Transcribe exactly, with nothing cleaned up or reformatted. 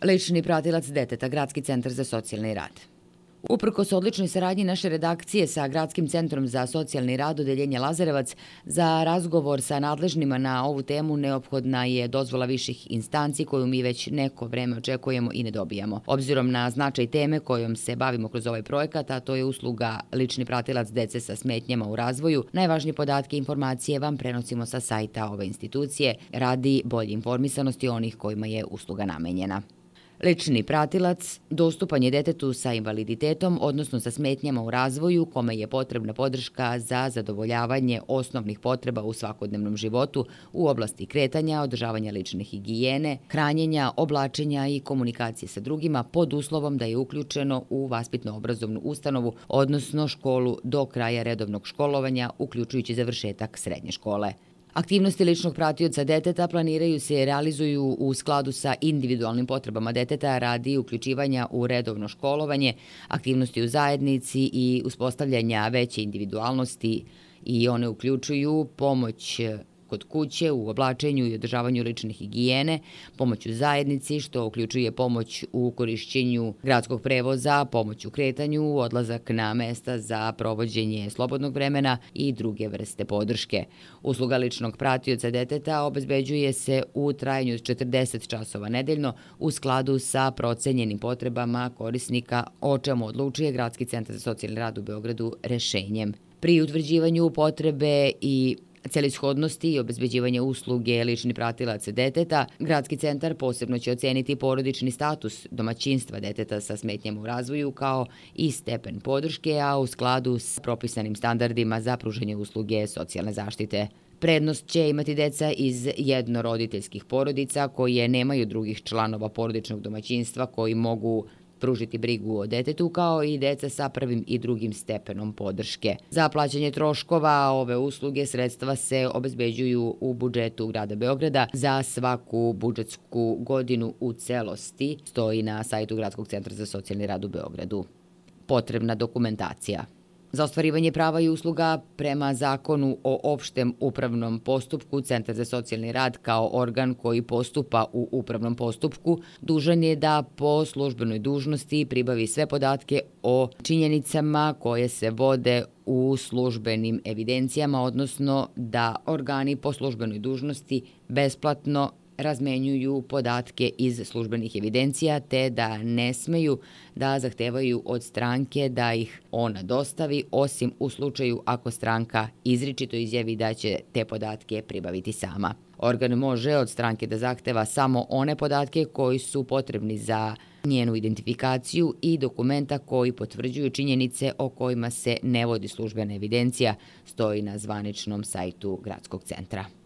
Lični pratilac deteta, Gradski centar za socijalni rad. Uprkos odličnoj saradnji naše redakcije sa Gradskim centrom za socijalni rad Odeljenja Lazarevac, za razgovor sa nadležnima na ovu temu neophodna je dozvola viših instanci koju mi već neko vreme očekujemo i ne dobijamo. Obzirom na značaj teme kojom se bavimo kroz ovaj projekat, a to je usluga lični pratilac dece sa smetnjama u razvoju, najvažnije podatke i informacije vam prenosimo sa sajta ove institucije radi bolje informisanosti onih kojima je usluga namenjena. Lični pratilac dostupan je detetu sa invaliditetom, odnosno sa smetnjama u razvoju, kome je potrebna podrška za zadovoljavanje osnovnih potreba u svakodnevnom životu u oblasti kretanja, održavanja lične higijene, hranjenja, oblačenja i komunikacije sa drugima pod uslovom da je uključeno u vaspitno-obrazovnu ustanovu, odnosno školu do kraja redovnog školovanja, uključujući završetak srednje škole. Aktivnosti ličnog pratioca deteta planiraju se i realizuju u skladu sa individualnim potrebama deteta radi uključivanja u redovno školovanje, aktivnosti u zajednici i uspostavljanja veće individualnosti i one uključuju pomoć kod kuće u oblačenju i održavanju lične higijene, pomoć u zajednici, što uključuje pomoć u korišćenju gradskog prevoza, pomoć u kretanju, odlazak na mesta za provođenje slobodnog vremena i druge vrste podrške. Usluga ličnog pratioca deteta obezbeđuje se u trajanju od četrdeset časova nedeljno u skladu sa procenjenim potrebama korisnika, o čemu odlučuje Gradski centar za socijalni rad u Beogradu rešenjem. Pri utvrđivanju potrebe i celishodnosti i obezbeđivanje usluge lični pratilac deteta, Gradski centar posebno će oceniti porodični status domaćinstva deteta sa smetnjama u razvoju kao i stepen podrške, a u skladu s propisanim standardima za pružanje usluge socijalne zaštite. Prednost će imati deca iz jednoroditeljskih porodica koje nemaju drugih članova porodičnog domaćinstva koji mogu pružiti brigu o detetu, kao i deca sa prvim i drugim stepenom podrške. Za plaćanje troškova ove usluge sredstva se obezbeđuju u budžetu grada Beograda za svaku budžetsku godinu u celosti, stoji na sajtu Gradskog centra za socijalni rad u Beogradu. Potrebna dokumentacija. Za ostvarivanje prava i usluga prema Zakonu o opštem upravnom postupku, Centar za socijalni rad kao organ koji postupa u upravnom postupku dužan je da po službenoj dužnosti pribavi sve podatke o činjenicama koje se vode u službenim evidencijama, odnosno da organi po službenoj dužnosti besplatno razmenjuju podatke iz službenih evidencija, te da ne smeju da zahtevaju od stranke da ih ona dostavi, osim u slučaju ako stranka izričito izjavi da će te podatke pribaviti sama. Organ može od stranke da zahteva samo one podatke koji su potrebni za njenu identifikaciju i dokumenta koji potvrđuju činjenice o kojima se ne vodi službena evidencija, stoji na zvaničnom sajtu Gradskog centra.